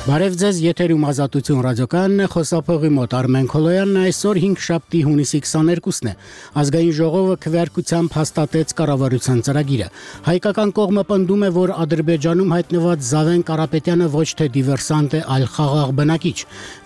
Բարև ձեզ, եթերում Ազատություն ռադիոկայանն է, խոսափողի մոտ Արմեն Քոլոյանն այսօր 5 շաբթի հունիսի 22-ն է։ Ազգային ժողովը քվեարկությամբ հաստատեց կառավարության ծրագիրը։ Հայկական կողմը պնդում է, որ Ադրբեջանում հայտնված Զավեն Կարապետյանը ոչ թե դիվերսանտ է, այլ խաղաղ բնակիչ։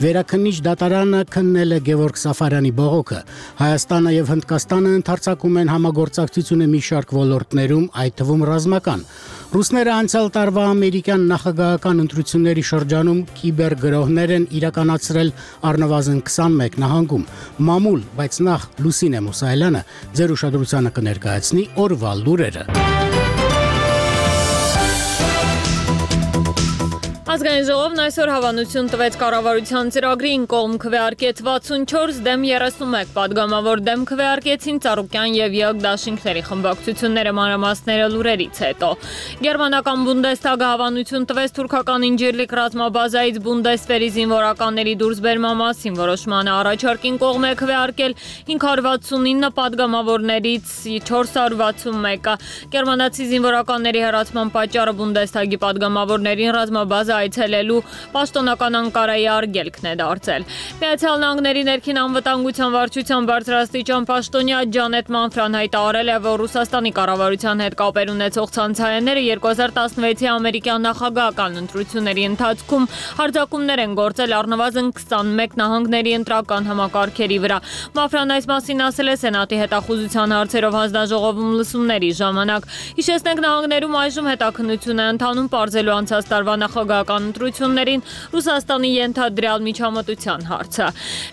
Վերաքննիչ դատարանը քննել է Գևորգ Սաֆարյանի բողոքը։ Հայաստանը եւ Հնդկաստանը ընդարձակում են համագործակցությունը մի շարք ոլորտներում, այդ թվում ռազմական։ Ռուսները անցյալ տարվա ամերիկյան նախագահական ընտրությունների շրջանում կիբերգրոհներ են իրականացրել առնվազն 21 նահանգում։ Մամուլ, բայց նախ Լուսինե Մուսայելյանը ձեր ուշադրությանը կներկայացնի օրվա լուրերը։ Ազգային ժողովն այսօր հավանություն տվեց կառավարության ծրագրին, կողմ քվեարկեց 64, դեմ 31, պատգամավոր դեմ քվեարկեցին Ծառուկյան եւ ԵՕԿ դաշինքների խմբակցությունները, մանրամասները լուրերից հետո։ Գերմանական Բունդեսթագը հավանություն տվեց թուրքական Ինջիրլիկ ռազմաբազայից Բունդեսվերի զինվորականների դուրսբերման մասին, որոշմանը առաջարկին կողմ է քվեարկել 569 պատգամավորներից 461-ը։ Գերմանացի զինվորականների հեռացման պատճառը Բունդեսթագի պատգամավորներին ռազմաբազա այցելելու պաշտոնական Անկարայի արգելքն է դարձել։ Միացյալ Նահանգների ներքին անվտանգության վարչության բարձրաստիճան պաշտոնյա Ջանետ Մանֆրան հայտարարել է, որ Ռուսաստանի կառավարության հետ կապեր ունեցող ցանցայանները 2016-ի ամերիկյան նախագահական ընտրությունների ընթացքում հարձակումներ են գործել առնվազն 21 նահանգների ընտրական համակարգերի վրա։ Մանֆրան այս մասին ասել է Սենատի հետախուզության հարցերով հանձնաժողովում լսումների ժամանակ։ Հիշեցնենք, նահանգներում այժմ հետաքննություն է ընթանում պարզելու անցած տարվա նախագահական ընտրություններին Ռուսաստանի ենթադրյալ միջամտության հարցը։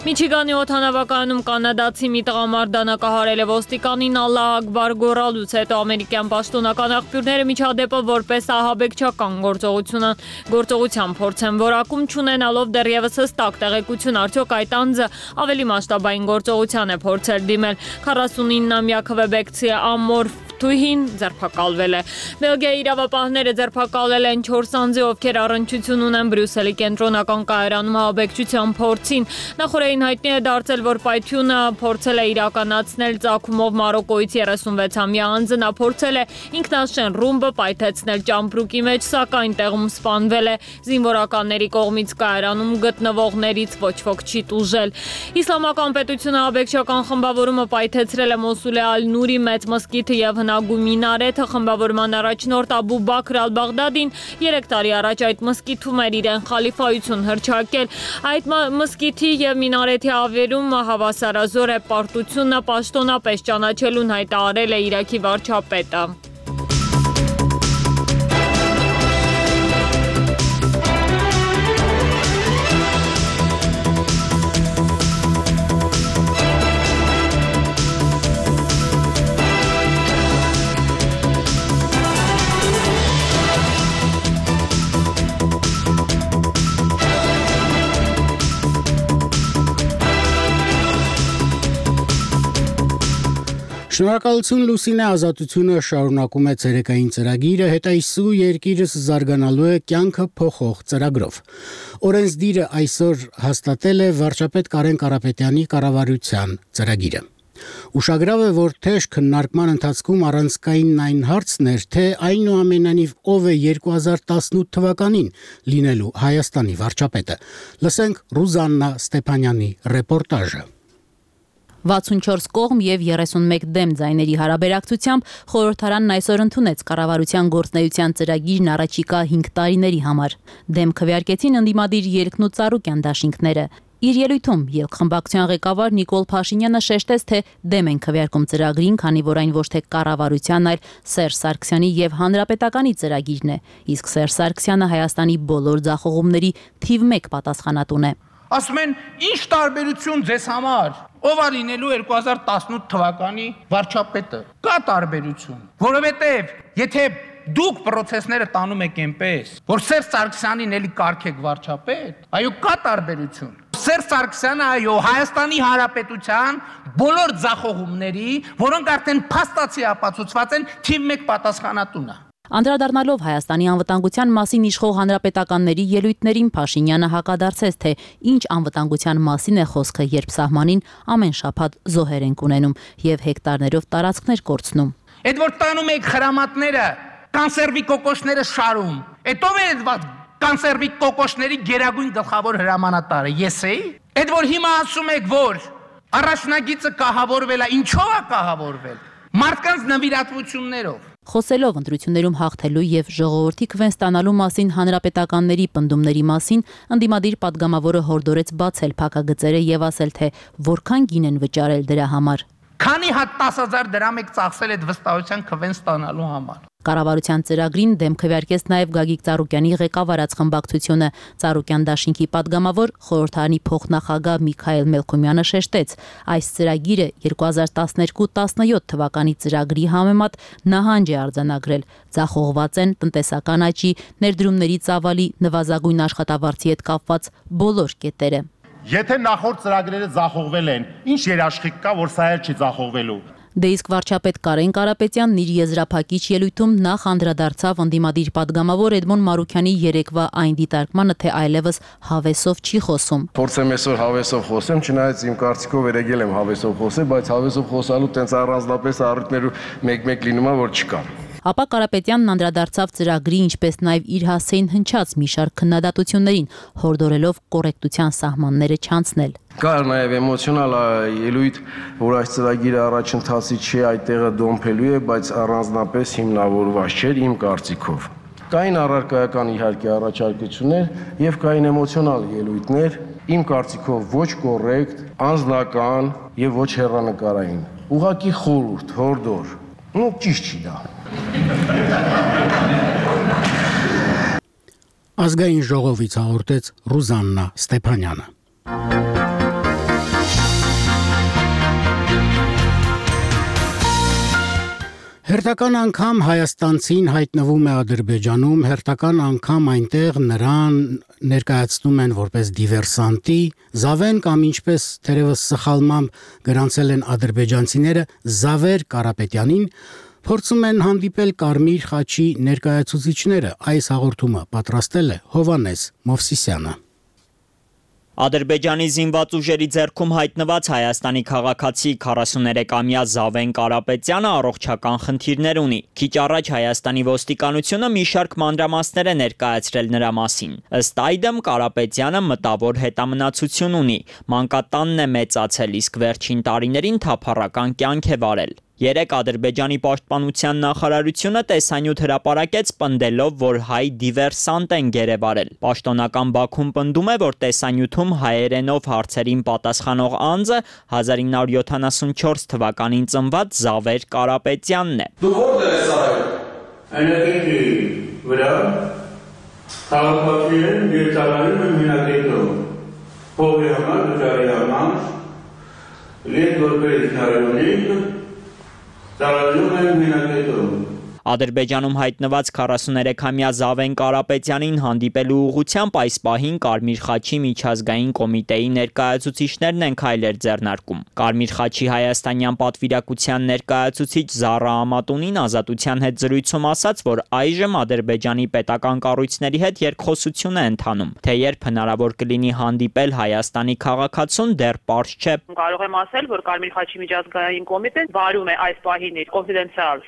Միչիգանի օդանավակայանում կանադացի մի տղամարդ դանակահարել է ոստիկանին Ալլահ Ակբար գոռալուց հետո ամերիկյան պաշտոնական աղբյուրները միջադեպը որպես ահաբեկչական գործողության փորձ են որակում, չունենալով դեռևս հստակ տեղեկություն, արդյոք այդ անձը ավելի մասշտաբային գործողության է փորձել դիմել։ 49-ամյա քվեբեկցի Ամոր Թուհին ձերբակալվել է։ Բելգիայի իրավապահները ձերբակալել են 4 անձի, ովքեր առնչություն ունեն Բրյուսելի կենտրոնական կայարանում ահաբեկչության փորձին։ Նախորդին հայտնի է դարձել, որ պայթյունը փորձել է իրականացնել ծագումով Մարոկոյից 36-ամյա անձը։ Նա փորձել է ինքնաշեն ռումբը պայթեցնել ճամպրուկի մեջ, սակայն տեղում սպանվել է։ Զինվորականների կողմից կայարանում գտնվողներից ոչ ոք չի տուժել։ Իսլամական պետությունը ահաբեկչական խմբավորումը պայթեցրել է Մոսուլի Ալ-Նուրի մեծ մզկիթը եւ հնագու մինարեթը։ Խմբավորման առաջնորդ Աբու Բաքր Ալ-Բաղդադին 3 տարի առաջ այդ մզկիթում էր իրեն խալիֆայություն հռչակել։ Այդ մզկիթի եւ մինարեթի ավերում հավասարազոր է պարտությունը պաշտոնապես ճանաչելուն հայտարարել է Իրաքի վարչապետը։ Շնորհակալություն Լուսինե, Ազատությունը շարունակում է ցերեկային ծրագիրը, հետայսու երկիրս զարգանալու է կյանքը փոխող ծրագրով։ Օրենսդիրը այսօր հաստատել է վարչապետ Կարեն Կարապետյանի կառավարության ծրագիրը։ Ուշագրավ է, որ թեժ քննարկման ընթացքում առանցքային այն հարցն էր, թե այնուամենայնիվ ով է 2018 թվականին լինելու Հայաստանի վարչապետը։ Լսենք Ռուզաննա Ստեփանյանի ռեպորտաժը։ 64 կողմ եւ 31 դեմ ձայների հարաբերակցությամբ խորհրդարանն այսօր ընդունեց կառավարության գործնեայության ծրագիրն առաջիկա 5 տարիների համար։ Դեմ քվեարկեցին ընդդիմադիր Ելքն ու Ծառուկյան դաշինքները։ Իր ելույթում ելքխմբակցության ղեկավար Նիկոլ Փաշինյանը շեշտեց, թե դեմ են քվեարկում ծրագրին, քանի որ այն ոչ թե կառավարության, այլ Սերժ Սարգսյանի եւ Հանրապետականի ծրագիրն է։ Իսկ Սերժ Սարգսյանը Հայաստանի բոլոր ձախողումների թիվ 1 պատասխանատուն է։ Ասում են, ինչ տարբերություն ձեզ համար, ով է լինելու 2018 թվականի վարչապետը։ Կա տարբերություն, որովհետև եթե դուք process-ները տանում եք այնպես, որ Սերժ Սարգսյանին էլի կարգեք վարչապետ, այո, կա տարբերություն։ Սերժ Սարգսյանը այո Հայաստանի Հանրապետության բոլոր ձախողումների, որոնք արդեն փաստացի ապացուցված են, թիվ 1 պատասխանատուն է։ Անդրադառնալով Հայաստանի անվտանգության մասին իշխող հանրապետականների ելույթներին Փաշինյանը հակադարձեց, թե ինչ անվտանգության մասին է խոսքը, երբ սահմանին ամեն շաբաթ զոհեր են ունենում եւ հեկտարներով տարածքներ կորցնում։ Այդ որ տանում եք խրամատները, կանսերվի կոկոշները շարում, այդ ով է կանսերվի կոկոշների գերագույն գլխավոր հրամանատարը ես էի։ Այդ որ հիմա ասում եք, որ առաջնագիծը կահավորվել է, ինչով է կահավորվել։ Մարդկանց նվիրատվություններով։ Խոսելով ընտրություններում հաղթելու եւ ժողովրդի քվեն ստանալու մասին հանրապետականների պնդումների մասին, ընդդիմադիր падգամավորը հորդորեց բացել փակագծերը եւ ասել, թե որքան գին են վճարել դրա համար։ Քանի հատ 10,000 դրամ եք ծախսել այդ վստահության քվեն ստանալու համար։ Կառավարության ծրագրին դեմ քվեարկեց նաև Գագիկ Ծառուկյանի ղեկավարած խմբակցությունը։ Ծառուկյան դաշինքի падգամավոր խորհրդարանի փոխնախագահ Միքայել Մելքումյանը շեշտեց, այս ծրագիրը 2012-17 թվականի ծրագրի համեմատ նահանջ է արձանագրել։ Ձախողված են տնտեսական աճի, ներդրումների ծավալի, նվազագույն աշխատավարձի հետ կապված բոլոր կետերը։ Եթե նախորդ ծրագրերը ձախողվել են, ինչ երաշխիք կա, որ սա էլ չի ձախողվելու։ Դե իսկ վարչապետ Կարեն Կարապետյանն իր եզրափակիչ ելույթում նախ անդրադարձավ ընդդիմադիր падգամավոր Էդմոն Մարուքյանի երեկվա այն դիտարկմանը, թե այլևս հավեսով չի խոսում։ Փորձեմ այսօր հավեսով խոսեմ, չնայած իմ կարծիքով երեգել եմ հավեսով խոսել, բայց հավեսով խոսալու տենց առանձնապես առիթներու մեկ-մեկ լինում է, որ չկա։ Ապա Կարապետյանն անդրադարձավ ծրագրի, ինչպես նաև իր հասցեին հնչած մի շարք քննադատություններին, հորդորելով կոռեկտության սահմանները չանցնել։ Կար նաև էմոցիոնալ ելույթ, որ այս ծրագիրը առաջընթացի չի, այդտեղը դոմփելու է, բայց առանձնապես հիմնավորված չէր իմ կարծիքով։ Կային առարկայական իհարկե առաջարկություններ եւ կային էմոցիոնալ ելույթներ, իմ կարծիքով ոչ կոռեկտ, անձնական եւ ոչ հեռանկարային։ Ուղղակի խորհուրդ, հորդոր։ Ճիշտ չի դա։ Ազգային ժողովից հաղորդեց Ռուզաննա Ստեփանյանը։ Հերթական անգամ հայաստանցին հայտնվում է Ադրբեջանում, հերթական անգամ այնտեղ նրան ներկայացնում են որպես դիվերսանտի, Զավեն կամ ինչպես թերևս սխալմամբ գրանցել են ադրբեջանցիները Զավեր Կարապետյանին, փորձում են հանդիպել Կարմիր խաչի ներկայացուցիչները։ Այս հաղորդումը պատրաստել է Հովանես Մովսիսյանը։ Ադրբեջանի զինված ուժերի ձեռքում հայտնված Հայաստանի քաղաքացի 43-ամյա Զավեն Կարապետյանը առողջական խնդիրներ ունի։ Քիչ առաջ Հայաստանի ոստիկանությունը մի շարք մանրամասներ է ներկայացրել նրա մասին։ Ըստ այդմ Կարապետյանը մտավոր հետամնացություն ունի։ Մանկատանն է մեծացել, իսկ վերջին տարիներին թափառական կյանք է վարել։ Երեկ Ադրբեջանի պաշտպանության նախարարությունը տեսանյութ հրապարակեց պնդելով, որ հայ դիվերսանտ են գերեվարել։ Պաշտոնական Բաքուն պնդում է, որ տեսանյութում հայերենով հարցերին պատասխանող անձը 1974 թվականին ծնված Զավեր Կարապետյանն է։ Դու որտե՞ղ ես արել։ Այնտեղի վրա քաղաքացիներն դիվերսալանում են մինակետում։ Փողի համար, դժարի համար, լետ որպես նարյունիկ Ադրբեջանում հայտնված 43-ամյա Զավեն Կարապետյանին հանդիպելու ուղղությամբ այս պահին Կարմիր խաչի միջազգային կոմիտեի ներկայացուցիչներն են քայլեր ձեռնարկում։ Կարմիր խաչի հայաստանյան պատվիրակության ներկայացուցիչ Զառա Ամատունին Ազատության հետ զրույցում ասաց, որ այժմ Ադրբեջանի պետական կառույցների հետ երկխոսություն է ընթանում, թե երբ հնարավոր կլինի հանդիպել Հայաստանի քաղաքացուն դեռ պարզ չէ։ Կարող եմ ասել, որ Կարմիր խաչի միջազգային կոմիտեն վարում է այս պահին իր կոնֆիդենցիալ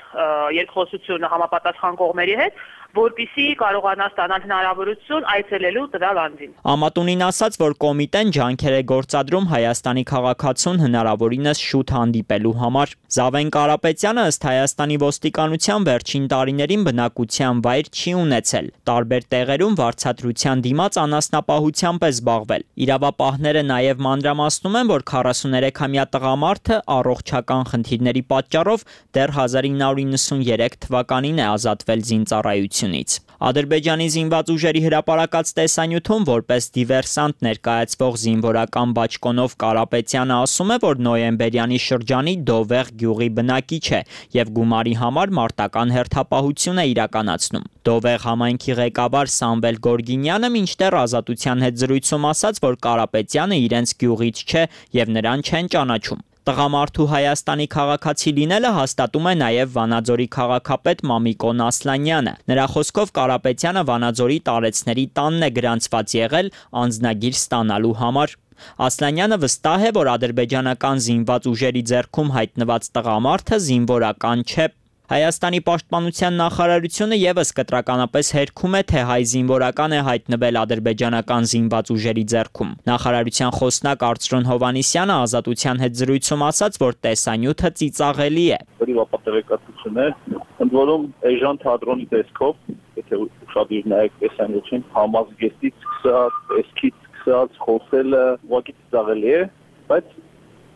երկխոսությունը համապատասխան կողմերի հետ, որպեսզի կարողանա ստանալ հնարավորություն այցելելու տվյալ անձին։ Ամատունին ասաց, որ կոմիտեն ջանքեր է գործադրում Հայաստանի քաղաքացուն հնարավորինս շուտ հանդիպելու համար։ Զավեն Կարապետյանը ըստ Հայաստանի ոստիկանության վերջին տարիներին բնակության վայր չի ունեցել։ Տարբեր տեղերում վարձատրության դիմաց անասնապահությամբ է զբաղվել։ Իրավապահները նաև մանրամասնում են, որ 43-ամյա տղամարդը առողջական խնդիրների պատճառով դեռ 1993 թվականին է ազատվել զինծառայությունից։ Ադրբեջանի զինված ուժերի հրապարակած տեսանյութում որպես դիվերսանտ ներկայացվող զինվորական բաճկոնով Կարապետյանը ասում է, որ նոյեմբերյանի շրջանի Դովեղ գյուղի բնակիչ է եւ գումարի համար մարտական հերթապահություն է իրականացնում։ Դովեղ համայնքի ղեկավար Սամվել Գորգինյանը մինչդեռ Ազատության հետ զրույցում ասաց, որ Կարապետյանը իրենց գյուղից չէ եւ նրան չեն ճանաչում։ Տղամարդու Հայաստանի քաղաքացի լինելը հաստատում է նաև Վանաձորի քաղաքապետ Մամիկոն Ասլանյանը։ Նրա խոսքով Կարապետյանը Վանաձորի տարեցների տանն է գրանցված եղել անձնագիր ստանալու համար։ Ասլանյանը վստահ է, որ ադրբեջանական զինված ուժերի ձեռքում հայտնված տղամարդը զինվորական չէ։ Հայաստանի պաշտպանության նախարարությունը եւս կտրականապես հերքում է, թե հայ զինվորական է հայտնվել ադրբեջանական զինված ուժերի ձեռքում։ Նախարարության խոսնակ Արծրուն Հովհաննիսյանը Ազատության հետ զրույցում ասաց, որ տեսանյութը ծիծաղելի է։ Տեղեկատվություն է, ընդ որում էժան թատրոնի տեսքով, եթե ուշադիր նայեք տեսանյութին, համազգեստից սկսած, տեսքից սկսած, խոսելը ուղղակի ծիծաղելի է, բայց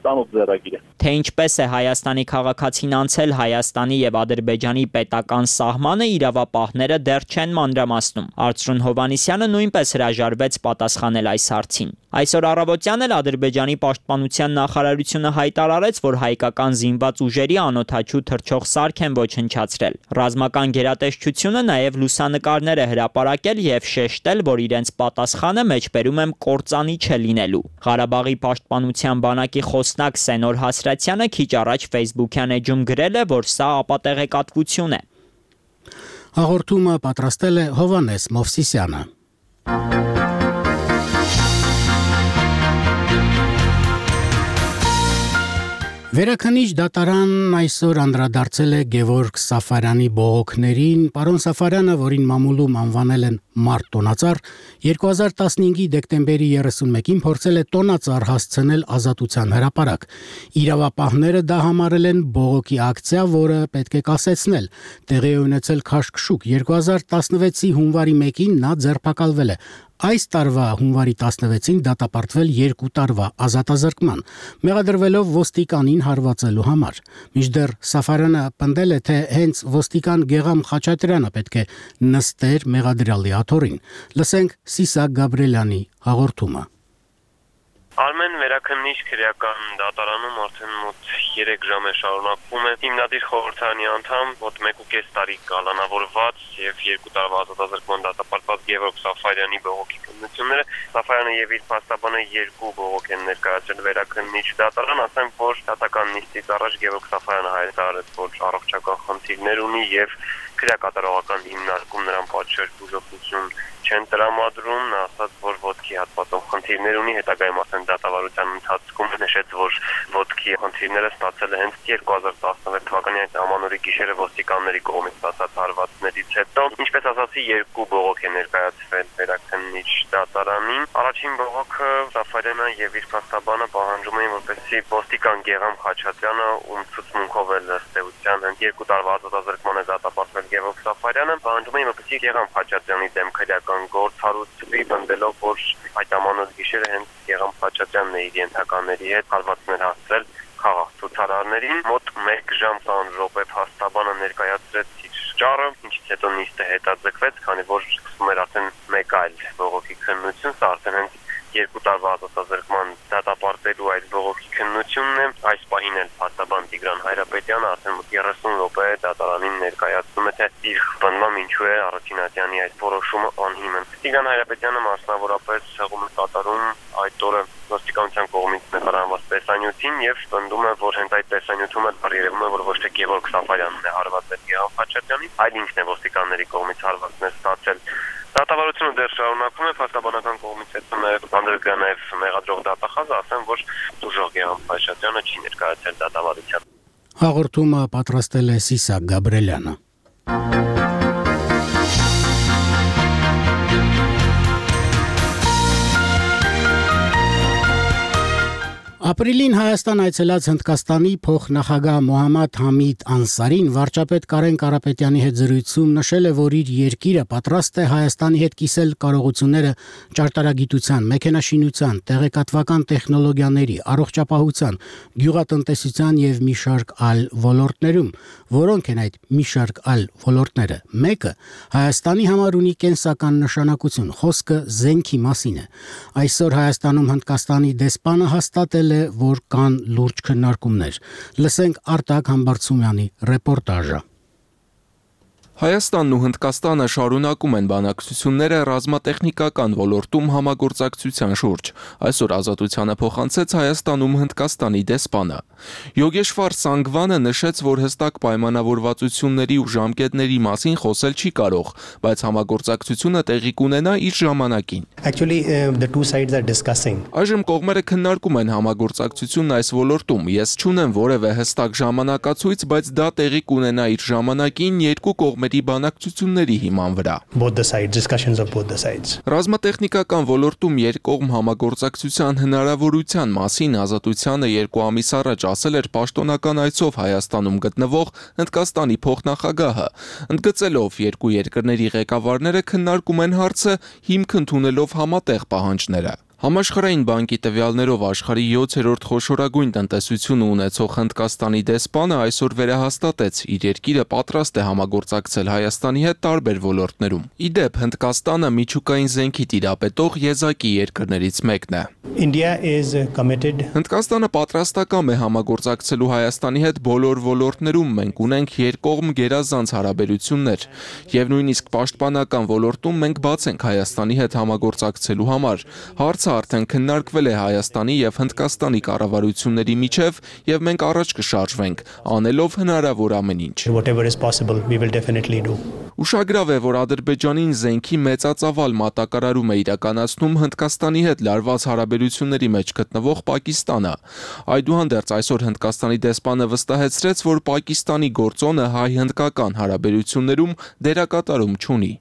ծանոթ ձեռագիր է։ Թե ինչպես է Հայաստանի քաղաքացին անցել Հայաստանի եւ Ադրբեջանի պետական սահմանը, իրավապահները դեռ չեն մանրամասնում։ Արծրուն Հովհաննիսյանը նույնպես հրաժարվեց պատասխանել այս հարցին։ Այսօր առավոտյան էլ Ադրբեջանի պաշտպանության նախարարությունը հայտարարեց, որ հայկական զինված ուժերի անօդաչու թռչող սարք են ոչնչացրել։ Ռազմական գերատեսչությունը նաեւ լուսանկարներ է հրապարակել եւ շեշտել, որ իրենց պատասխանը մեջբերում եմ կործանի չլինելու։ Ղարաբաղի պաշտպանության բանակի խոսնակ Սենոր Հասրատյանը քիչ առաջ Facebook-յան էջում գրել է, որ սա ապատեղեկատվություն է։ Հաղորդումը պատրաստել է Հովհաննես Մովսիսյանը։ Վերաքննիչ դատարանն այսօր անդրադարձել է Գևորգ Սաֆարյանի բողոքներին։ Պարոն Սաֆարյանը, որին մամուլում անվանել են մարտ տոնածառ, 2015-ի դեկտեմբերի 31-ին փորձել է տոնածառ հասցնել Ազատության հրապարակ։ Իրավապահները դա համարել են բողոքի ակցիա, որը պետք է կասեցնել։ Տեղի է ունեցել քաշքշուկ։ 2016-ի հունվարի 1-ին նա ձերբակալվել է։ Այս տարվա հունվարի 16-ին դատապարտվել 2 տարվա ազատազրկման, մեղադրվելով ոստիկանին հարվածելու համար։ Մինչդեռ Սաֆարյանը պնդել է, թե հենց ոստիկան Գեգամ Խաչատրյանը պետք է նստեր մեղադրյալի աթոռին։ Լսենք Սիսակ Գաբրելյանի հաղորդումը։ Արմեն վերաքննիչ քրեական դատարանում արդեն մոտ 3 ժամ է շարունակվում է հիմնադիր խորհրդարանի անդամ մոտ 1.5 տարի կալանավորված եւ 2 տարվա ազատազրկման դատապարտված Գևորգ Սաֆարյանի բողոքի քննությունները։ Սաֆարյանը եւ իր փաստաբանը 2 բողոք են ներկայացրել վերաքննիչ դատարան, ասեմ, որ դատական նիստից առաջ Գևորգ Սաֆարյանը հայտարարեց, որ առողջական խնդիրներ ունի եւ քրեակատարողական հիմնարկում նրան պատշաճ բուժօգնություն չեն տրամադրում, նա ասաց, որ ոտքի հատվածով խնդիրներ ունի, հետագայում ասեն դատավարության ընթացքում նշեց, որ ոտքի խնդիրները ստացել է հենց 2016 թվականի այդ ամանորի գիշերը ոստիկանների կողմից ստացած հարվածներից հետո։ Ինչպես ասացի, 2 բողոք է ներկայացվել վերաքննիչ դատարանին։ Առաջին բողոքը Սաֆարյանը եւ իր փաստաբանը պահանջում էին, որպեսզի ոստիկան Գեգամ Խաչատրյանը, ում ցուցմունքով է ըստ էության հենց 2 տարվա ազատազրկման է դատապարտվել Գևորգ Սաֆարյանը, պահանջում էին, որպեսզի Գեգամ Խաչատրյանի դեմ քրեական գործ հարուցվի, բնդելով, որ այդ ամանոց գիշերը հենց Գեգամ Խաչատրյանն է իր ենթականների հետ հարվածներ հասցրել խաղաղ ցուցարարներին։ Մոտ 1 ժամ 20 րոպե փաստաբանը ներկայացրեց իր ճառը, ինչից հետո նիստը հետաձգվեց, քանի որ սկսվում էր արդեն մեկ այլ բողոքի քննություն, սա արդեն հենց 2 տարվա ազատազրկման դատապարտելու այդ բողոքի քննությունն է։ Այս պահին էլ փաստաբան Տիգրան Հայրապետյանը արդեն 30 րոպե դատարանին ներկայացնում է, թե իր բնդմամբ ինչու է Արաքինատյանի այդ որոշումը անհիմն։ Տիգրան Հայրապետյանը մասնավորապես հղում է կատարում այդ օրը ոստիկանության կողմից նկարահանված տեսանյութին եւ պնդում է, որ հենց այդ տեսանյութում էլ երևում է, որ ոչ թե Գևորգ Սաֆարյանն է հարվածել Գեգամ Խաչատրյանին, այլ ինքն է ոստիկանների կողմից հարվածներ ստացել։ Դատավարությունը դեռ շարունակվում է, փաստաբանական կողմից հետո անդրկա նաև մեղադրող դատախազը, ասեմ, որ դժոխ Գեգամ Խաչատրյանը չի ներկայացել դատավարության։ Հաղորդումը պատրաստել է Սիսակ Գաբրելյանը։ Ապրիլին Հայաստան այցելած Հնդկաստանի փոխնախագահ Մոհամմադ Համիդ Անսարին վարչապետ Կարեն Կարապետյանի հետ զրույցում նշել է, որ իր երկիրը պատրաստ է Հայաստանի հետ կիսել կարողությունները ճարտարագիտության, մեքենաշինության, տեղեկատվական տեխնոլոգիաների, առողջապահության, գյուղատնտեսության եւ մի շարք այլ ոլորտներում, որոնք են այդ մի շարք այլ ոլորտները։ Մեկը Հայաստանի համար ունի կենսական նշանակություն, խոսքը զենքի մասին է։ Այսօր Հայաստանում Հնդկաստանի դեսպանը հաստատել է, որ կան լուրջ քննարկումներ։ Լսենք Արտակ Համբարձումյանի ռեպորտաժը։ Հայաստանն ու Հնդկաստանը շարունակում են բանակցությունները ռազմատեխնիկական ոլորտում համագործակցության շուրջ։ Այսօր Ազատությանը փոխանցեց Հայաստանում Հնդկաստանի դեսպանը։ Յոգեշվար Սանգվանը նշեց, որ հստակ պայմանավորվածությունների ու ժամկետների մասին խոսել չի կարող, բայց համագործակցությունը տեղի կունենա իր ժամանակին։ Այժմ կողմերը քննարկում են համագործակցությունն այս ոլորտում։ Ես չունեմ որևէ հստակ ժամանակացույց, բայց դա տեղի կունենա իր ժամանակին երկու կողմերի բանակցությունների հիման վրա։ Ռազմատեխնիկական ոլորտում երկկողմ համագործակցության հնարավորության մասին Ազատությանը 2 ամիս առաջ ասել էր պաշտոնական այցով Հայաստանում գտնվող Հնդկաստանի փոխնախագահը, ընդգծելով երկու երկրների ղեկավարները քննարկում են հարցը հիմք ընդունելով համատեղ պահանջները։ Համաշխարհային բանկի տվյալներով աշխարհի 7-րդ խոշորագույն տնտեսությունը ունեցող Հնդկաստանի դեսպանը այսօր վերահաստատեց իր երկիրը պատրաստ է համագործակցել Հայաստանի հետ տարբեր ոլորտներում։ Ի դեպ, Հնդկաստանը միջուկային զենքի տիրապետող եզակի երկրներից մեկն է։ Հնդկաստանը պատրաստակամ է համագործակցելու Հայաստանի հետ բոլոր ոլորտներում, մենք ունենք երկկողմ գերազանց հարաբերություններ, եւ նույնիսկ պաշտպանական ոլորտում մենք բաց ենք Հայաստանի հետ համագործակցելու համար։ Հարցը արդեն քննարկվել է Հայաստանի եւ Հնդկաստանի կառավարությունների միջև եւ մենք առաջ կշարժվենք, անելով հնարավոր ամեն ինչ։ Ուշագրավ է, որ Ադրբեջանին զենքի մեծածավալ մատակարարում է իրականացնում Հնդկաստանի հետ լարված հարաբերությունների մեջ գտնվող Պակիստանը։ Այդուհանդերձ այսօր Հնդկաստանի դեսպանը վստահեցրեց, որ Պակիստանի գործոնը հայ-հնդկական հարաբերություններում դերակատարում չունի։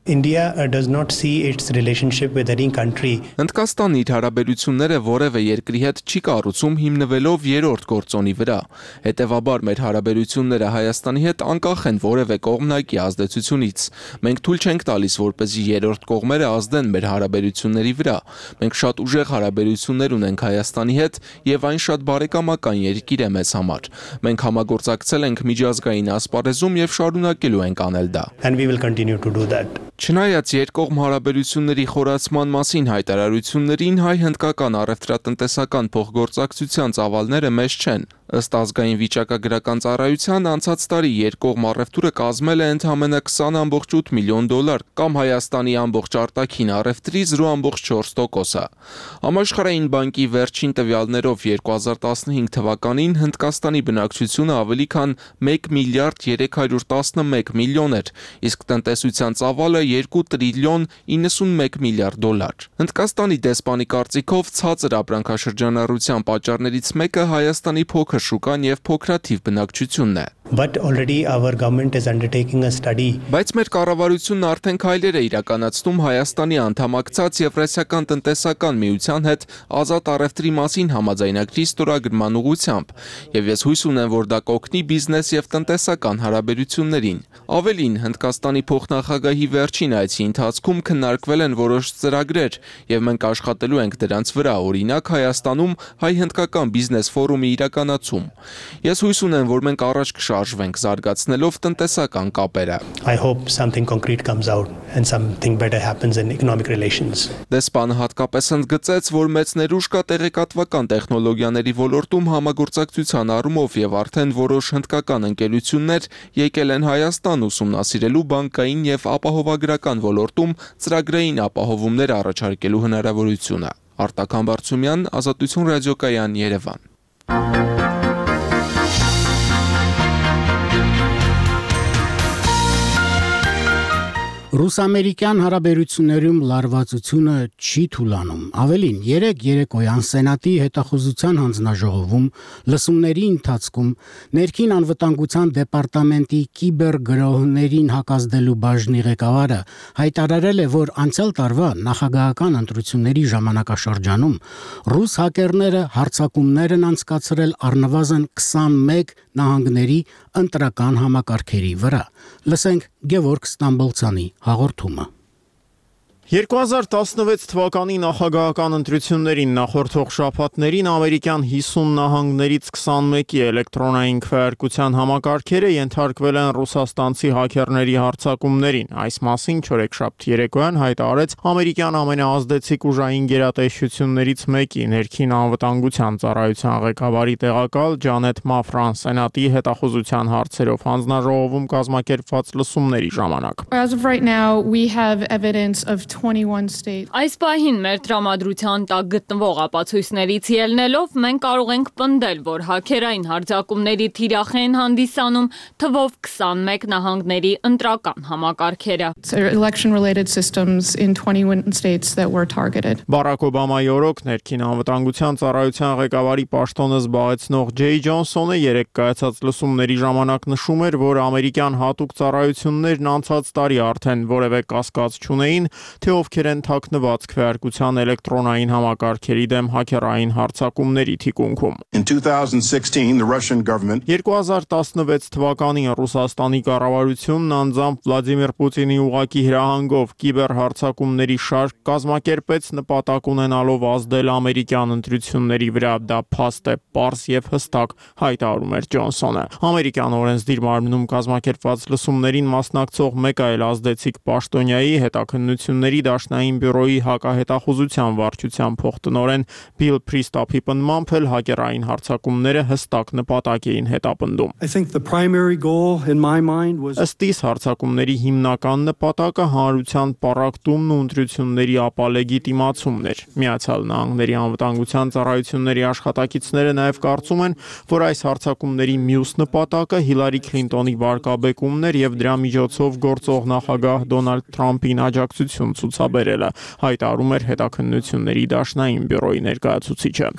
Հնդկաստանն իր հարաբերությունները որևէ երկրի հետ չի կառուցում հիմնվելով երրորդ գործոնի վրա։ Հետևաբար մեր հարաբերությունները Հայաստանի հետ անկախ են որևէ կողմնակի ազդեցությունից։ Մենք թույլ չենք տալիս, որպեսզի երրորդ կողմերը ազդեն մեր հարաբերությունների վրա։ Մենք շատ ուժեղ հարաբերություններ ունենք Հայաստանի հետ եւ այն շատ բարեկամական երկիր է մեզ համար։ Մենք համագործակցել ենք միջազգային ասպարեզում եւ շարունակելու ենք անել դա։ Չնայած երկկողմ հարաբերությունների խորացման մասին հայտարարություններին հայ-հնդկական առևտրատնտեսական փոխգործակցության ծավալները մեծ չեն։ Ըստ ազգային վիճակագրական ծառայության անցած տարի երկկողմ առևտուրը կազմել է ընդամենը $20.8 միլիոն կամ Հայաստանի ամբողջ արտաքին առևտրի 0.4%-ը։ Համաշխարհային բանկի վերջին տվյալներով 2015 թվականին Հնդկաստանի բնակչությունը ավելի քան 1 միլիարդ 311 միլիոն էր, իսկ տնտեսության ծավալը 2 տրիլիոն 91 միլիարդ $։ Հնդկաստանի դեսպանի կարծիքով ցածր ապրանքաշրջանառության պատճառներից մեկը Հայաստանի փոքր շուկան եւ փոքրաթիվ բնակչությունն է։ Բայց մեր կառավարությունն արդեն քայլեր է իրականացնում Հայաստանի անդամակցած Եվրասիական տնտեսական միության հետ ազատ առևտրի մասին համաձայնագրի ստորագրման ուղղությամբ, եւ ես հույս ունեմ, որ դա կօգնի բիզնես եւ տնտեսական հարաբերություններին։ Ավելին, Հնդկաստանի փոխնախագահի վերջին այցի ընթացքում քննարկվել են որոշ ծրագրեր, եւ մենք աշխատելու ենք դրանց վրա, օրինակ Հայաստանում հայ-հնդկական բիզնես ֆորումի իրականացում։ Ես հույս ունեմ, որ մենք առաջ կշարժվենք զարգացնելով տնտեսական կապերը։ Դեսպանը հատկապես ընդգծեց, որ մեծ ներուժ կա տեղեկատվական տեխնոլոգիաների ոլորտում համագործակցության առումով եւ արդեն որոշ հնդկական ընկերություններ եկել են Հայաստան ուսումնասիրելու բանկային եւ ապահովագրական ոլորտում ծրագրային ապահովումներ առաջարկելու հնարավորությունը։ Արտակ Համբարձումյան, Ազատություն ռադիոկայան, Երևան։ Ռուս-ամերիկյան հարաբերություններում լարվածությունը չի թուլանում։ Ավելին, երեկոյան Սենատի հետախուզության հանձնաժողովում լսումների ընթացքում ներքին անվտանգության դեպարտամենտի կիբերգրոհներին հակազդելու բաժնի ղեկավարը հայտարարել է, որ անցյալ տարվա նախագահական ընտրությունների ժամանակաշրջանում ռուս հակերները հարձակումներ են անցկացրել առնվազն 21 նահանգների ընտրական համակարգերի վրա։ Լսենք Գևորգ Ստամբոլցյանի հաղորդումը։ 2016 թվականի նախագահական ընտրություններին նախորդող շաբաթներին ամերիկյան 50 նահանգներից 21-ի էլեկտրոնային քվեարկության համակարգերը ենթարկվել են ռուսաստանցի հաքերների հարձակումներին։ Այս մասին չորեքշաբթի երեկոյան հայտարարեց ամերիկյան ամենաազդեցիկ ուժային գերատեսչություններից մեկի ներքին անվտանգության ծառայության ղեկավարի տեղակալ Ջանետ Մաֆրան Սենատի հետախուզության հարցերով հանձնաժողովում կազմակերպված լսումների ժամանակ։ As of right now, we have evidence of 21 states. Այս պահին մեր տրամադրության տակ գտնվող ապացույցներից ելնելով մենք կարող ենք պնդել, որ հաքերային հարձակումների թիրախ են հանդիսանում թվով 21 նահանգների ընտրական համակարգերը։ Election-related systems in 21 states that were targeted. Բարակ Օբամայի օրոք ներքին անվտանգության ծառայության ղեկավարի պաշտոնը զբաղեցնող Ջեյ Ջոնսոնը երեկ կայացած լսումների ժամանակ նշում էր, որ ամերիկյան հատուկ ծառայություններն անցած տարի արդեն որևէ կասկած չունեին, թե ովքեր են թաքնված քվեարկության էլեկտրոնային համակարգերի դեմ հաքերային հարձակումների թիկունքում։ In 2016, the Russian government 2016 թվականին Ռուսաստանի կառավարությունն անձամբ Վլադիմիր Պուտինի ուղղակի հրահանգով կիբերհարձակումների շարք կազմակերպեց նպատակ ունենալով ազդել ամերիկյան ընտրությունների վրա։ Դա փաստ է, պարզ եւ հստակ, հայտարարում էր Ջոնսոնը։ Ամերիկյան օրենսդիր մարմնում կազմակերպված լսումներին մասնակցող մեկ այլ ազդեցիկ պաշտոնյայի հետաքննությունների դաշնային բյուրոյի հակահետախուզության վարչության փոխտնօրեն Բիլ Պրիստապի պնդմամբ էլ հակերային հարձակումները հստակ նպատակ էին հետապնդում։ Ըստ իս հարձակումների հիմնական նպատակը հանրության պառակտումն ու ընտրությունների ապալեգիտիմացումն էր։ Միացյալ Նահանգների անվտանգության ծառայությունների աշխատակիցները նաև կարծում են, որ այս հարձակումների մյուս նպատակը Հիլարի Քլինտոնի վարկաբեկումն էր եւ դրա միջոցով գործող նախագահ Դոնալդ Թրամփին աջակցություն ցուցաբերելը, հայտարարում էր հետաքննությունների դաշնային բյուրոյի ներկայացուցիչը։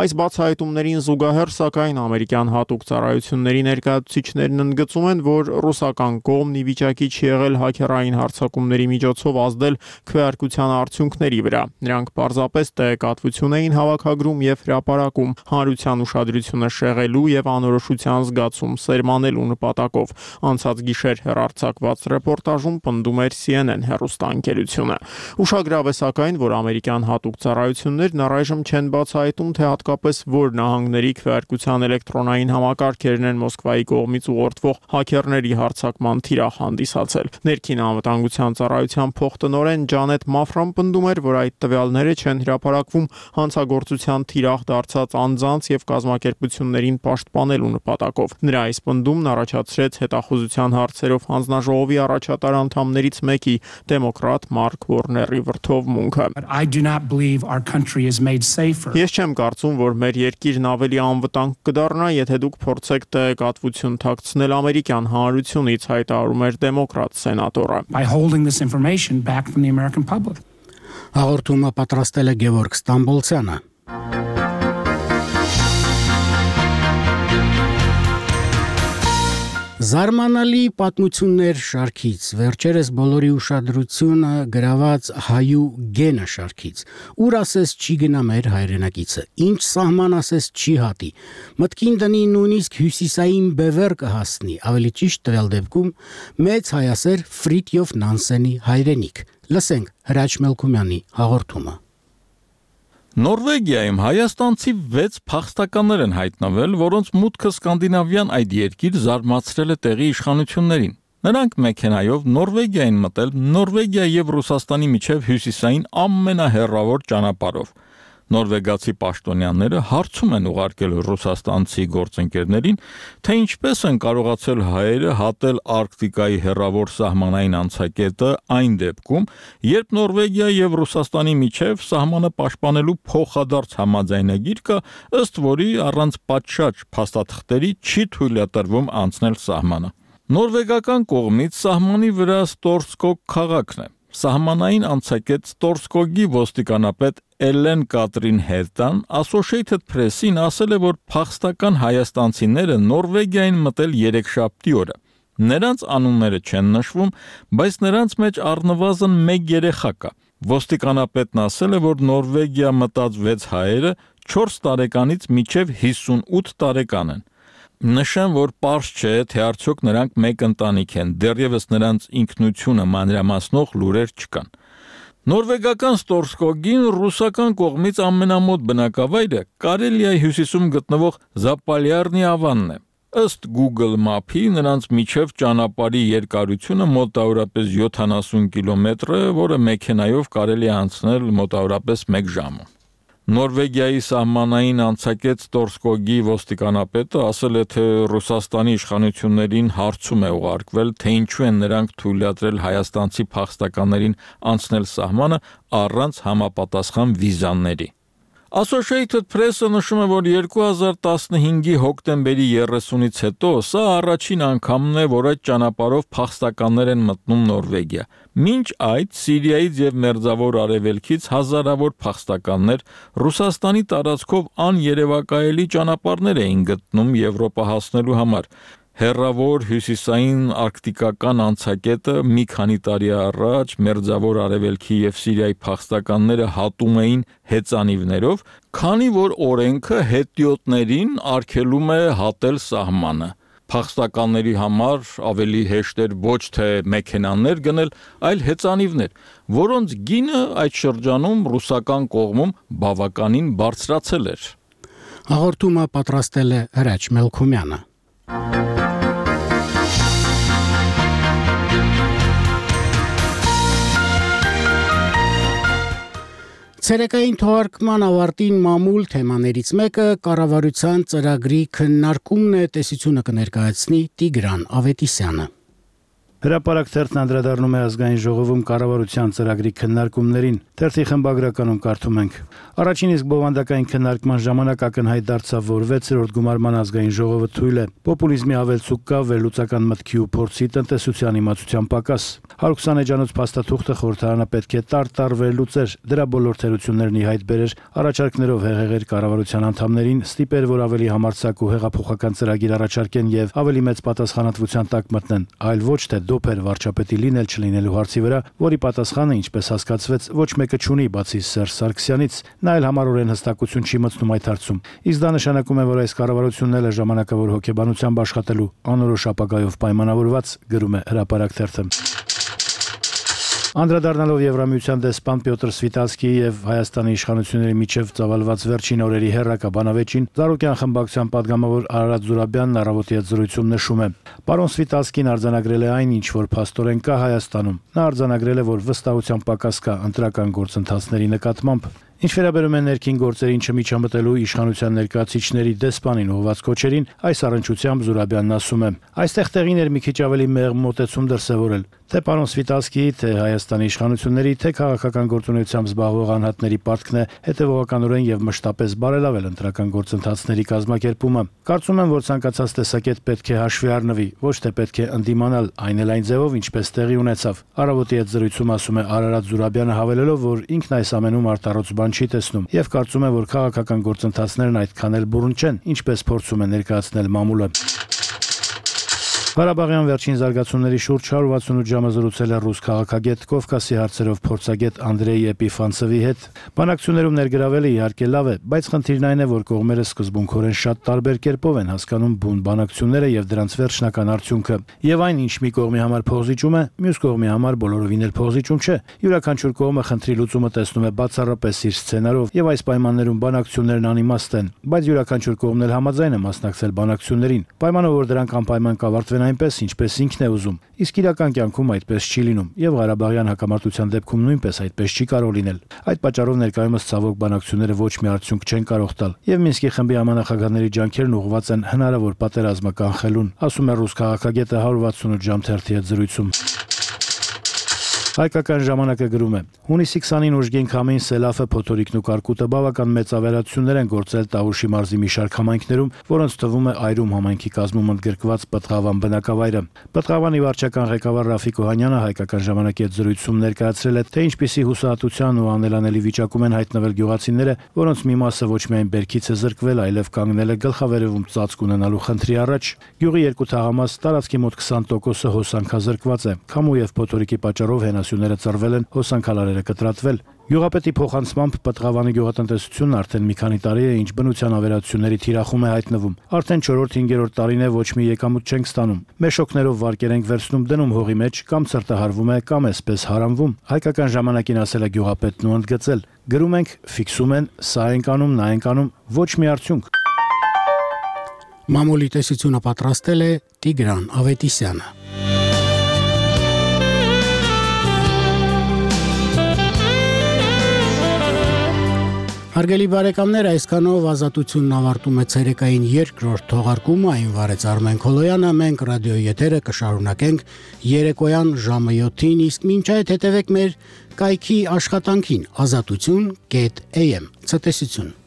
Այս բացահայտումներին զուգահեռ, սակայն ամերիկյան հատուկ ծառայությունների ներկայացուցիչներն ընդգծում են, որ ռուսական կողմն ի վիճակի չի եղել հաքերային հարձակումների միջոցով ազդել քվեարկության արդյունքների վրա։ Նրանք պարզապես տեղեկատվություն էին հավաքագրում եւ հրապարակում հանրության ուշադրությունը շեղելու եւ անորոշության զգացում սերմանելու նպատակով։ Անցած գիշեր հեռարձակված ռեպորտաժում պնդում էր CNN հեռուստաընկերությունը։ Ուշագրավ է սակայն, որ ամերիկյան հատուկ ծառայություններն առայժմ չեն բացահայտում, թե հատկապես որ նահանգների քվեարկության էլեկտրոնային համակարգերն են Մոսկվայի կողմից ուղղորդվող հաքերների հարձակման թիրախ հանդիսացել։ Ներքին անվտանգության ծառայության փոխտնօրեն Ջանետ Մաֆրան պնդում էր, որ այդ տվյալները չեն հրապարակվում հանցագործության թիրախ դարձած անձանց եւ կազմակերպություններին պաշտպանելու նպատակով։ Նրա այս պնդումն առաջացրեց հետախուզության հարցերով հանձնաժողովի առաջատար անդամներից մեկի դեմոկրատ Մարկ Որների վրթովմունքը։ Ես չեմ կարծում, որ մեր երկիրն ավելի անվտանգ կդառնա, եթե դուք փորձեք տեղեկատվություն թաքցնել ամերիկյան հանրությունից, հայտարարում էր դեմոկրատ սենատորը։ Հաղորդումը պատրաստել է Գևորգ Ստամբոլցյանը։ Զարմանալի պատմություններ շարքից, վերջերս բոլորի ուշադրությունը գրաված հայու գենը շարքից, ուր ասես չի գնա մեր հայրենակիցը, ինչ սահման ասես չի հատի, մտքին դնի նույնիսկ հյուսիսային բևեր կհասնի, ավելի ճիշտ տվյալ դեպքում մեծ հայասեր Ֆրիտյոֆ Նանսենի հայրենիք։ Լսենք Հրաչ Մելքումյանի հաղորդումը։ Նորվեգիայում հայաստանցի 6 փախստականներ են հայտնվել, որոնց մուտքը սկանդինավյան այդ երկիր զարմացրել է տեղի իշխանություններին։ Նրանք մեքենայով Նորվեգիա են մտել Նորվեգիա եւ Ռուսաստանի միջև հյուսիսային ամենահեռավոր ճանապարհով։ Նորվեգացի պաշտոնյաները հարցում են ուղարկել ռուսաստանցի գործընկերներին, թե ինչպես են կարողացել հայերը հատել Արկտիկայի հեռավոր սահմանային անցակետը այն դեպքում, երբ Նորվեգիա եւ Ռուսաստանի միջև սահմանը պաշտպանելու փոխադարձ համաձայնագիր կա, ըստ որի առանց պատշաճ փաստաթղթերի չի թույլատրվում անցնել սահմանը։ Նորվեգական կողմից սահմանի վրա Ստորսկոգ քաղաքն է։ Սահմանային անցակետ Ստորսկոգի ոստիկանապետ Էլեն Կատրին Հետան Associated Press-ին ասել է, որ փախստական հայաստանցիները Նորվեգիային մտել երեքշաբթի օրը։ Նրանց անունները չեն նշվում, բայց նրանց մեջ առնվազն 1 երեխա կա։ Ոստիկանապետն ասել է, որ Նորվեգիա մտած 6 հայերը 4 տարեկանից մինչև 58 տարեկան են։ Նշեմ, որ պարզ չէ, թե արդյոք նրանք մեկ ընտանիք են, դեռևս նրանց ինքնությունը մանրամասնող լուրեր չկան։ Նորվեգական Ստորսկոգին ռուսական կողմից ամենամոտ բնակավայրը Կարելիայի հյուսիսում գտնվող Զապալյարնի ավանն է։ Ըստ Google Map-ի նրանց միջև ճանապարհի երկարությունը մոտավորապես 70 կիլոմետր է, որը մեքենայով կարելի է անցնել մոտավորապես 1 ժամում։ Նորվեգիայի սահմանային անցակետ Ստորսկոգի ոստիկանապետը ասել է, թե Ռուսաստանի իշխանություններին հարցում է ուղարկվել, թե ինչու են նրանք թույլատրել հայաստանցի փախստականներին անցնել սահմանը առանց համապատասխան վիզաների։ Associated Press-ը նշում է, որ 2015-ի հոկտեմբերի 30-ից հետո սա առաջին անգամն է, որ այդ ճանապարհով փախստականներ են մտնում Նորվեգիա։ Մինչ այդ Սիրիայից եւ Մերձավոր Արևելքից հազարավոր փախստականներ Ռուսաստանի տարածքով աներևակայելի ճանապարհներ էին գտնում Եվրոպա հասնելու համար։ Հեռավոր հյուսիսային արկտիկական անցակետը մի քանի տարի առաջ Մերձավոր Արևելքի եւ Սիրիայի փախստականները հատում էին հեծանիվներով, քանի որ օրենքը հետիոտներին արգելում է հատել սահմանը։ Փախստականների համար ավելի հեշտ էր ոչ թե մեքենաներ գնել, այլ հեծանիվներ, որոնց գինը այդ շրջանում ռուսական կողմում բավականին բարձրացել էր։ Հաղորդումը պատրաստել է Հրաչ Մելքումյանը։ Ցերեկային թողարկման ավարտին մամուլ թեմաներից մեկը կառավարության ծրագրի քննարկումն է, տեսությունը կներկայացնի Տիգրան Ավետիսյանը։ Հրապարակ թերթն անդրադառնում է ազգային ժողովում կառավարության ծրագրի քննարկումներին։ Թերթի խմբագրականում կարդում ենք. Առաջին իսկ բովանդակային քննարկման ժամանակ ակնհայտ դարձավ, որ 6-րդ գումարման ազգային ժողովը թույլ է։ Պոպուլիզմի ավելցուկ կա, վերլուծական մտքի ու փորձի, տնտեսության իմացության պակաս։ 120 էջանոց փաստաթուղթը խորհրդարանը պետք է տար վերլուծեր, դրա բոլոր թերություններն ի հայտ բերեր, առաջարկներով հեղեղեր կառավարության անդամներին, ստիպեր, որ ավելի համարձակ ու հեղափոխական ծրագիր առաջարկեն եւ ավելի մեծ պատասխանատվության տակ մտնեն, այլ ոչ թե դոփեր վարչապետի լինել չլինելու հարցի վրա, որի պատասխանը, ինչպես հասկացվեց, ոչ մեկը չունի բացի Սերժ Սարգսյանից, նա էլ համառորեն հստակություն չի մտցնում այդ հարցում։ Իսկ դա նշանակում է, որ այս կառավարությունն էլ է ժամանակավոր հոգեբանությամբ աշխատելու անորոշ ապագայով պայմանավորված, գրում է Հրապարակ թերթը։ Անդրադառնալով Եվրամիության դեսպան Պյոտր Սվիտալսկիի եւ Հայաստանի իշխանությունների միջև ծավալված վերջին օրերի հերրակա բանավեճին Զարուկյան խմբակցության падգամավոր Արարատ Զուրաբյանն առավոտի հետ զրույցում նշում է. Պարոն Սվիտալսկին արձանագրել է այն, ինչ որ փաստորեն կա Հայաստանում։ Նա արձանագրել է, որ վստահության պակաս կա ընտրական գործընթացների նկատմամբ։ Ինչ վերաբերում է ներքին գործերին չմիջամտելու իշխանության ներկայացուցիչների դեսպանին ուղղված կոչերին, այս առնչությամբ Զուրաբյանն ասում է. Այստեղ տեղին էր մի քիչ ավելի մեղմ մոտեցում դրսևորել, թե պարոն Սվիտալսկիի, թե Հայաստանի իշխանությունների, թե քաղաքական գործունեությամբ զբաղվող անհատների պարտքն է հետևողականորեն եւ մշտապես բարելավել ընտրական գործընթացների կազմակերպումը։ Կարծում եմ, որ ցանկացած տեսակետ պետք է հաշվի առնվի, ոչ թե պետք է ընդդիմանալ այն էլ այն ձևով, ինչպես տեղի ունեցավ։ Առավոտի հետ զրույցում ասում է Արարատ Զուրաբյանը, հավելելով, որ ինքն այս ամենում արտառոց բան չի տեսնում եւ կարծում է, որ քաղաքական գործընթացներն այդքան էլ բուրըն չեն, ինչպես փորձում է ներկայացնել մամուլը։ Ղարաբաղյան վերջին զարգացումների շուրջ 168 ժամը զրուցել է ռուս քաղաքագետ Կովկասի հարցերով փորձագետ Անդրեյ Էպիֆանցովի հետ։ Բանակցություններում ներգրավելը իհարկե լավ է, բայց խնդիրն այն է, որ կողմերը սկզբունքորեն շատ տարբեր կերպով են հասկանում բուն բանակցությունները եւ դրանց վերջնական արդյունքը։ Եվ այն, ինչ մի կողմի համար փոխզիջում է, մյուս կողմի համար բոլորովին էլ փոխզիջում չէ։ Յուրաքանչյուր կողմը խնդրի լուծումը տեսնում է բացառապես իր սցենարով եւ այս պայմաններում բանակցություններն անիմաստ են, բայց յուրաքանչյուր կողմն էլ համաձայն է մասնակցել բանակցություններին, պայմանով որ դրանք անպայման կավարտվեն այնպես, ինչպես ինքն է ուզում։ Իսկ իրական կյանքում այդպես չի լինում, եւ Ղարաբաղյան հակամարտության դեպքում նույնպես այդպես չի կարող լինել։ Այդ պատճառով ներկայումս ցավոք բանակցությունները ոչ մի արդյունք չեն կարող տալ, եւ Մինսկի խմբի համանախագահների ջանքերն ուղղված են հնարավոր պատերազմը կանխելուն, ասում է ռուս քաղաքագետը 168 ժամ թերթի հետ զրույցում։ Հայկական ժամանակը գրում է. Հունիսի 29 ուժգին քամին Սելաֆը, Փոթորիկն ու Կարկուտը բավական մեծ ավերածություններ են գործել Տավուշի մարզի մի շարք համայնքներում, որոնց թվում է Այրում համայնքի կազմում ընդգրկված Պտղավան բնակավայրը։ Պտղավանի վարչական ղեկավար Ռաֆիկ Օհանյանը հայկական ժամանակի հետ զրույցում ներկայացրել է, թե ինչպիսի հուսահատության ու անելանելի վիճակում են հայտնվել գյուղացիները, որոնց մի մասը ոչ միայն բերքից է զրկվել, այլև կանգնել է գլխավերևում ծածկ ունենալու խնդրի առաջ։ Գյուղի երկու թաղամաս տարածքի մոտ 20%-ը հոսանքազրկված է։ Քամու եւ Փոթորիկի պատճառով հենասյուները ծռվել են, հոսանքալարերը կտրատվել։ Գյուղապետի փոխանցմամբ Պտղավանի գյուղատնտեսությունն արդեն մի քանի տարի է, ինչ բնության ավերածությունների թիրախում է հայտնվում։ Արդեն 4-5-րդ տարին է ոչ մի եկամուտ չենք ստանում։ Մեշոկներով վարկեր ենք վերցնում դնում հողի մեջ, կամ ցրտահարվում է, կամ էսպես հարամվում։ Հայկական ժամանակին ասել է գյուղապետն ու ընդգծել. գրում ենք, ֆիքսում են, սա ենք անում, նա ենք անում, ոչ մի արդյունք։ Մամուլի տեսությունը պատրաստել է Տիգրան Ավետիսյանը։ Հարգելի բարեկամներ, այսքանով ազատությունն ավարտում է ցերեկային երկրորդ թողարկումը, այն վարեց Արմեն Քոլոյանը, մենք ռադիոյի եթերը կշարունակենք երեկոյան ժամը 7-ին, իսկ մինչ այդ հետևեք մեր կայքի աշխատանքին azatutun.am։ Ցտեսություն։